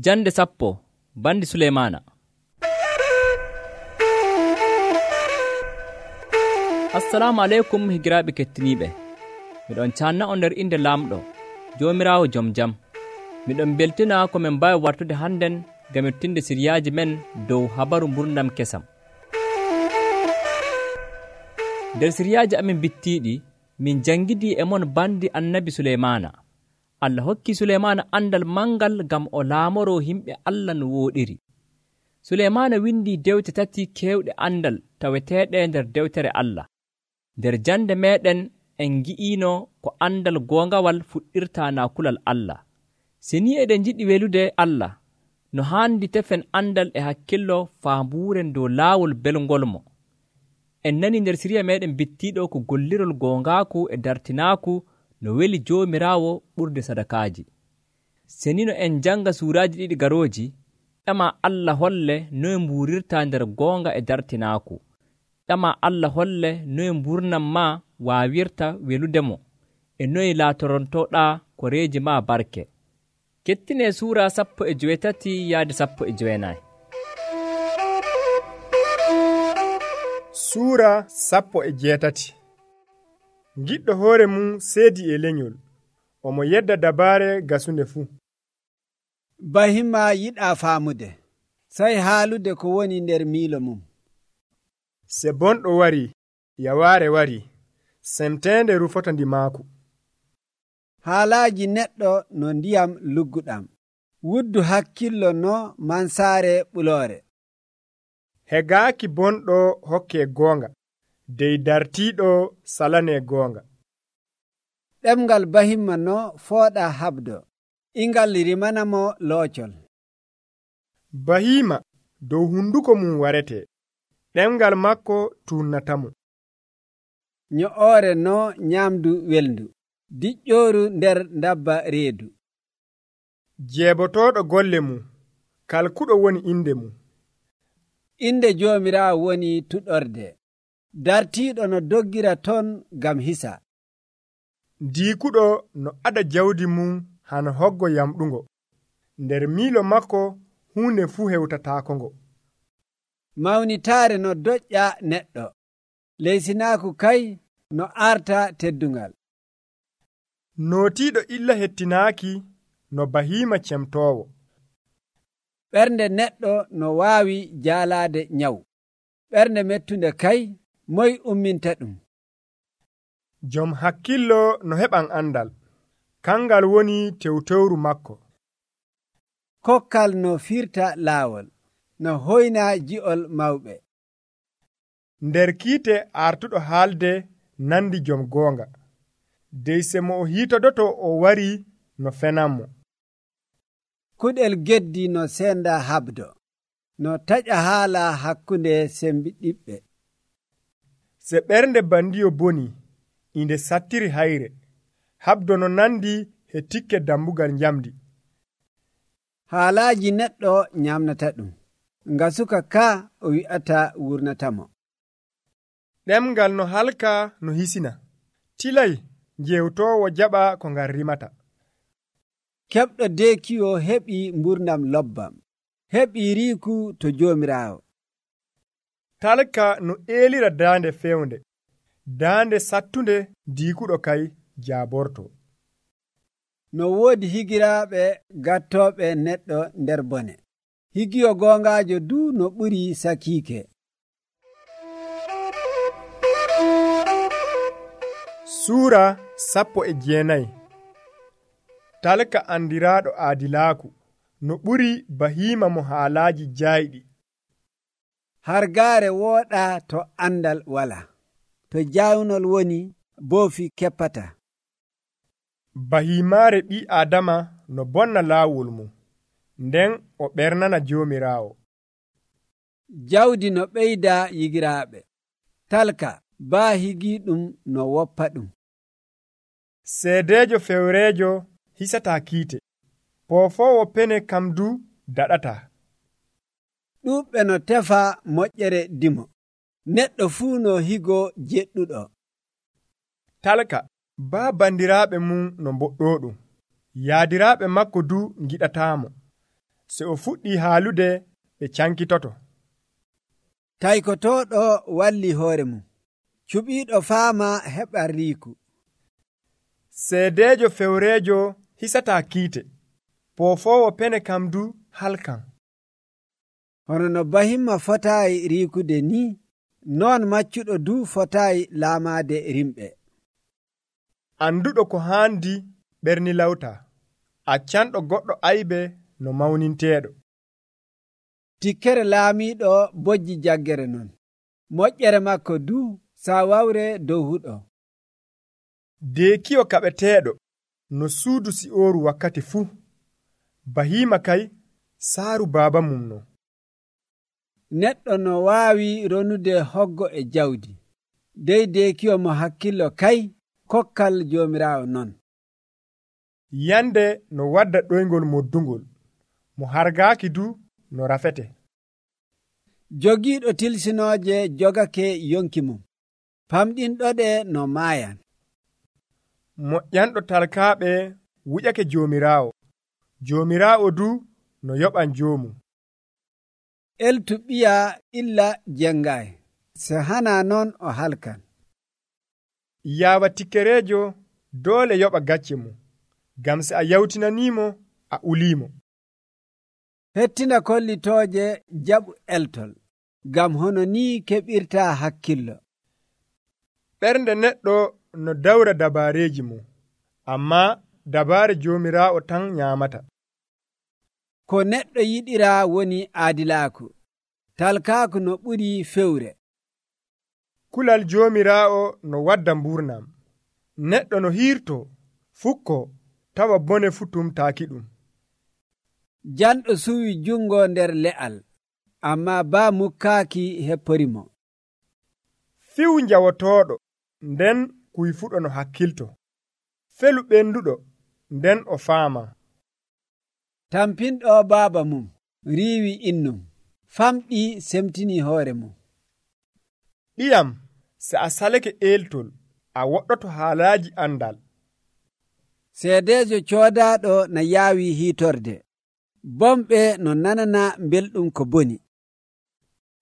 Jande 10 bandi Suleymaana. Assalamu aleykum higiraaɓe kettiniiɓe. Miɗon caanna on nder inde laamɗo Joomiraawo jom jam. Miɗon beltina ko min mbaawi wartude hannden ngam mettinde siriyaaji men dow habaru mburnam kesam. Nder siriyaaji amin bittiiɗi min jangidii e mon bandi annabi Suleymaana. Allah hokki Suleymaana andal mangal ngam o laamoroo himɓe Allah no wooɗiri. Suleymaana windii dewte 3 keewɗe andal taweteeɗe nder dewtere Allah. Nder jande meeɗen en ngi'iino ko andal goongawal fuɗɗirtaa naa kulal Allah. Se ni eɗen njiɗi welude Allah, no haandi tefen andal e hakkillo faambuuren dow laawol belngol mo. En nani nder siriya meeɗen bittiiɗo ko gollirol goongaaku e dartinaaku no weli Joomiraawo ɓurde sadakaaji. Se ni no en janga suuraaji 2 garooji, ƴama Allah holle noye mbuurirtaa nder goonga e dartinaaku. Ƴama Allah holle noye mburnam maa waawirta weludemo e noye laatorontoɗaa koreeji maa barke. Kettinee suura 18 yaade 19. Suura 18. Giɗɗo hoore mum seedi e lenyol, omo yedda dabaare gasunde fuu. Bahima yiɗaa faamude, sai haalude ko woni nder miilo mum. Se bonɗo wari, yawaare wari, semteende rufota ndi maaku. Haalaaji neɗɗo no ndiyam lugguɗam, wuddu hakkillo no mansaare ɓuloore. Hegaaki bonɗo hokke goonga, dey dartiiɗo salane goonga. Ɗemngal bahimma no fooɗa habdo, ingal rimanamo loocol. Bahima dow hunduko mum warete, ɗemngal makko tunnatamo. Nyo'oore no nyamdu welndu, diƴƴooru nder ndabba reedu. Jeebotoɗo golle mum, kalkuɗo woni inde mum. Inde Joomiraawo woni tuɗorde, dartiiɗo no doggira ton gam hisa. Diikuɗo no ada jawdi mum hano hoggo yamɗungo, nder miilo makko huunde fuu hewtataakongo. Mawnitaare no doƴƴa neɗɗo, leysinaaku kay no arta teddungal. Nootiiɗo illa hettinaaki no bahima cemtoowo. Ɓernde neɗɗo no waawi jaalaade nyawu, ɓernde mettunde kay moy umminta ɗum. Jom hakkillo no heɓan andal, kangal woni tewtewru makko. Kokkal no firta laawol, no hoyna ji'ol mawɓe. Nder kiite artuɗo haalde nandi jom goonga, dey se mo o hiitodoto o wari no fenanmo. Kuɗel geddi no senda habdo, no taƴa haala hakkunde sembiɗiɓɓe. Se ɓernde bandiyo boni, inde sattiri hayre, habdo no nandi he tikke dambugal njamdi. Haalaaji neɗɗo nyamnata ɗum, nga suka ka o wi'ata wurnatamo. Ɗemngal no halka no hisina, tilay jewtoowo jaɓa ko ngal rimata. Keɓɗo deekiyo heɓi mburnam lobbam, heɓi riiku to Joomiraawo. Talka no eelira daande fewnde, daande sattunde diikuɗo kay jaaborto. No woodi higiraaɓe gattooɓe neɗɗo nder bone, higiyo goongaajo du no ɓuri sakiike. Suura 19. Talka andiraaɗo aadilaaku no ɓuri bahima mo haalaaji jaayɗi. Hargaare wooɗa to andal wala, to jaawnol woni boofi keppata. Bahimaare ɓi Adama no bonna laawol mum, nden o ɓernana Joomiraawo. Jawdi no ɓeyda yigiraaɓe, talka baa higii ɗum no woppa ɗum. Seedeejo fewreejo hisataa kiite, poofoowo pene kam du daɗataa. Ɗuuɓɓe no tefa moƴƴere dimo, neɗɗo fuu no higo jeɗɗuɗo. Talka baa bandiraaɓe mum no mboɗɗooɗum, yaadiraaɓe makko du giɗataamo. se o fuɗɗi haalude ɓe cankitoto. Taykotooɗo walli hoore mum, cuɓiiɗo faama heɓa riiku. Seedeejo fewreejo hisataa kiite, poofoowo pene kam du halkan. Hono no bahimma fotaayi riikude ni, non maccuɗo du fotaayi laamaade rimɓe. Anduɗo ko haandi ɓernilawta, accanɗo goɗɗo aybe no mawninteeɗo. Tikkere laamiiɗo bojji jaggere non, moƴƴere makko du saawawre dow huɗo. Deekiyo kaɓeteeɗo no suudu si'ooru wakkati fuu, bahiima kay saaru baaba mum no. Neɗɗo no waawi ronude hoggo e jawdi, dey deekiyo mo hakkillo kay kokkal Joomiraawo non. Yande no wadda ɗoyngol moddungol, mo hargaaki du no rafete. Jogiiɗo tilsinooje jogake yonki mum, famɗinɗoɗe no maayan. Moƴƴanɗo talkaaɓe wuƴake Joomiraawo, Joomiraawo du no yoɓan joomum. Eltu ɓiya illa jengay, so hana non o halkan. Yaawa tikkereejo doole yoɓa gacce mum, gam se a yawtinaniimo a uliimo. Hettina kollitooje jaɓu eltol, gam hono ni keɓirta hakkillo. Ɓernde neɗɗo no dawra dabaareeji mum, amma dabaare Joomiraawo tan nyaamata. Ko neɗɗo yiɗira woni aadilaaku, talkaaku no ɓuri fewre. Kulal Joomiraawo no wadda mburnam, neɗɗo no hiirto fukko tawa bone fu tumtaaki ɗum. Janɗo suwi jungo nder le'al, amma baa mukkaaki hepporimo. Fiw njawotooɗo, nden kuyfuɗo no hakkilto. Felu ɓenduɗo, nden o faama. Tampinɗo baaba mum riiwi innum, famɗi semtini hoore mum. Ɓiyam, se a salake eeltol, a woɗɗoto haalaaji andal. Seedeejo coodaaɗo no yaawi hiitorde, bomɓe no nanana belɗum ko boni.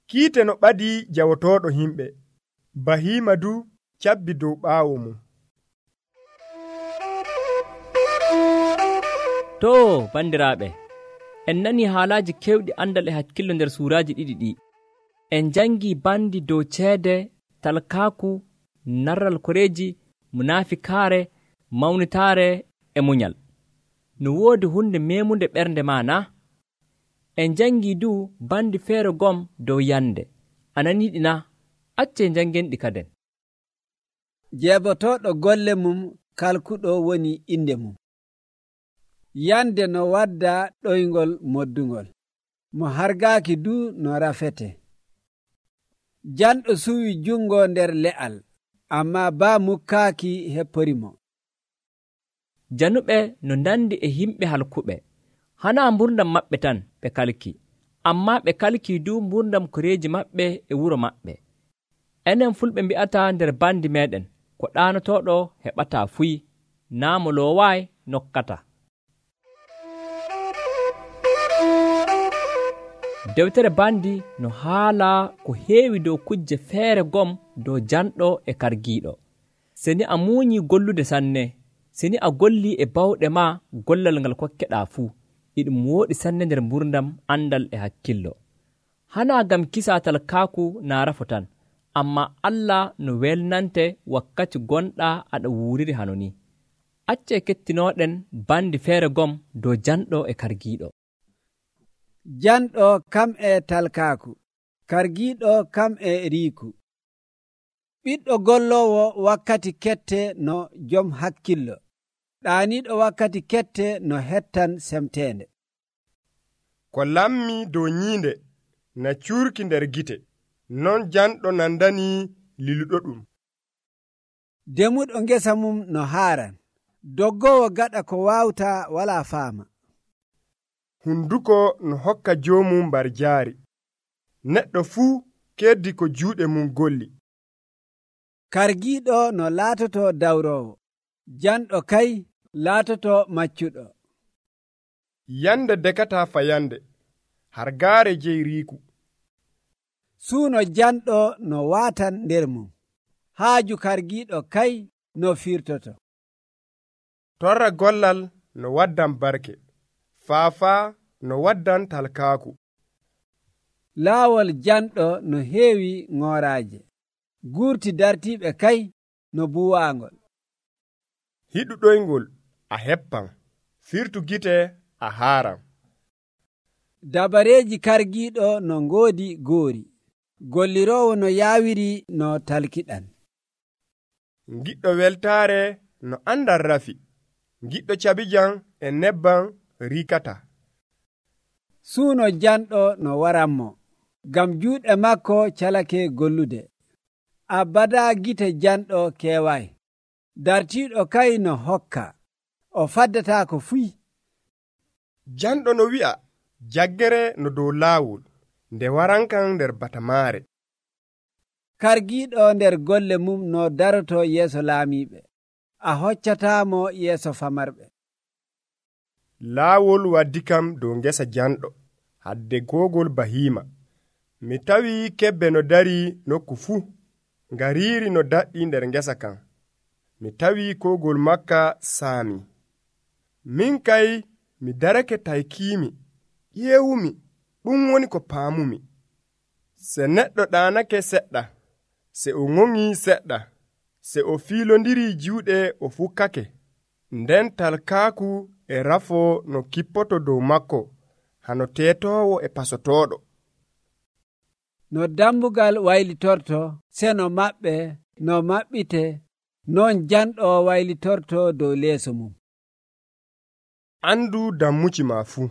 Kiite no ɓadii jawotooɗo himɓe, bahiima du cabbi dow ɓaawo mum. To bandiraaɓe, en nani haalaaji kewɗi andal e hakkillo nder suuraaji ɗiɗi ɗi. En jangi bandi dow ceede, talkaaku, narral koreeji, munafikaare, mawnitaare e munyal. No woodi hunde meemunde ɓernde ma na? En jangi du bandi feere gom dow yande. Ananiiɗi na? Acce jangenɗi kaden. Jeebotoɗo golle mum kalkuɗo woni inde mum. Yande no wadda ɗoyngol moddungol, mo hargaaki du no rafete. Janɗo suwi jungo nder le'al, amma baa mukkaaki hepporimo. Januɓe no ndandi e himɓe halkuɓe, hana mburdam maɓɓe tan ɓe kalki, amma ɓe kalki du mburdam koreeji maɓɓe e wuro maɓɓe. Enen fulɓe mbi'ata nder bandi meɗen, ko ɗaanotoɗo heɓata fuyi, naa mo loowaay nokkata. Dewtere bandi no haala ko heewi dow kujje feere gom dow janɗo e kargiiɗo. Seni a muuñi gollude sanne, seni a golli e bawɗe ma gollal ngal kokkeɗaa fuu, iɗum wooɗi sanne nder mburdam andal e hakkillo. Hana gam kisa talkaaku naarafo tan, amma Allah no welnante wakkati gonɗa aɗa wuuriri hano ni. Acce kettinoɗen bandi feere gom dow janɗo e kargiiɗo. Janɗo kam e talkaaku, kargiiɗo kam e riiku. Ɓiɗɗo gollowo wakkati kette no jom hakkillo, ɗaaniiɗo wakkati kette no hettan semteende. Ko lammi dow nyiinde na cuurki nder gite, non janɗo nandani liluɗo ɗum. Demuɗo ngesa mum no haaran, doggowo gaɗa ko waawta wala faama. Hunduko no hokka joomum mbar jaari, neɗɗo fuu keddi ko juuɗe mum golli. Kargiiɗo no laatoto dawrowo, janɗo kay laatoto maccuɗo. yande dekata fayande hargaare jeyriiku. suuno janɗo no waatan nder mum, haaju kargiiɗo kay no firtoto. torra gollal no waddan barke, faafaa no waddan talkaaku. laawol janɗo no heewi ŋooraaje, guurti dartiiɓe kay no buwaangol. hiɗu ɗoyngol a heppan, firtu gite a haaran. dabareeji kargiiɗo no ngoodi goori, golliroowo no yaawiri no talkiɗan. giɗɗo weltaare no andal rafi, giɗɗo cabijan e nebban riikata. suuno janɗo no waranmo, ngam juuɗe makko calake gollude. abada gite janɗo keewaay, dartiiɗo kay no hokka, o faddataako fuy. janɗo no wi'a jaggere no dow laawol, nde warankan nder batamaare. kargiiɗo nder golle mum no daroto yeeso laamiiɓe, a hoccataamo yeeso famarɓe. laawol waddi kam dow ngesa janɗo, hadde googol bahiima. mi tawi kebbe no dari nokku fuu, ngariiri no daɗɗi nder ngesa kan. mi tawi koogol makka saami. min kay mi darake taykiimi, ƴeewumi, ɗum woni ko paamumi. se neɗɗo ɗaanake seɗɗa, se o ŋoŋii seɗɗa, se o fiilondiri juuɗe o fukkake, nden talkaaku e rafoo no kippoto dow makko, hano teetoowo e pasotooɗo. no dambugal waylitorto seno maɓɓe no maɓɓite, non janɗo waylitorto dow leeso mum. andu dammuci ma fuu,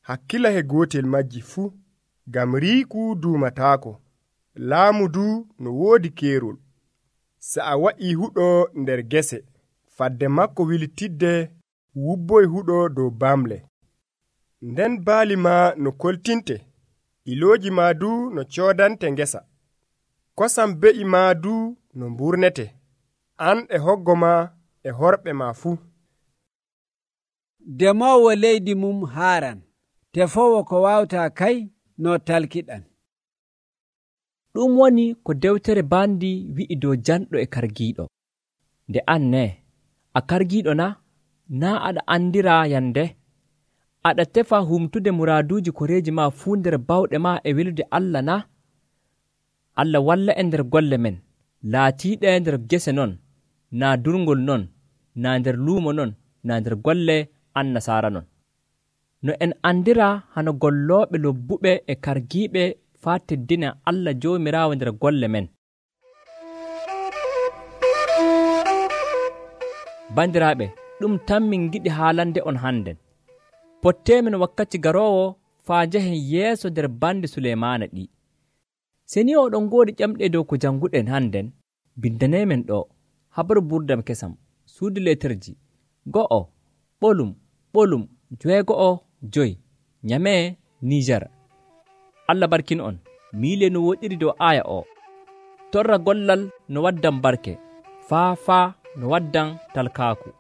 hakkila he gootel majji fuu, ngam riiku duumataako, laamu du no woodi keerol. se a waɗii huɗo nder gese, fadde makko wiltidde wubboy huɗo dow bamle. nden baali ma no koltinte, ilooji ma du no coodante ngesa. kosam be'i ma du no mburnete, an e hoggo ma e horɓe ma fuu. demoowo leydi mum haaran, tefowo ko wawta kay no talkiɗan. ɗum woni ko dewtere bandi wi'i dow janɗo e kargiiɗo. nde an ne a kargiiɗo na aɗa andira yande, aɗa tefa humtude muraaduuji koreeji ma fuu nder bawɗe ma e welude Allah na? Allah walla e nder golle men laatiiɗe nder gese non, na durngol non, na nder luumo non, na nder golle annasaara non. no en andira hano gollooɓe lobbuɓe e kargiiɓe faa teddina Allah Joomiraawo nder golle men. bandiraaɓe, ɗum tan min giɗi haalande on hannden. potteemen wakkati garoowo faa njahen yeeso nder bandi Suleymaana ɗi. se ni oɗon ngoodi ƴamɗe dow ko jannguɗen hannden, bindaneemen ɗo habaru burdam kesam, suudu leterji 1 ɓolum 65 Nyame, Niger. Allah barkin on. miile no woɗiri dow aya o. torra gollal no waddan barke, faafaa no waddan talkaaku.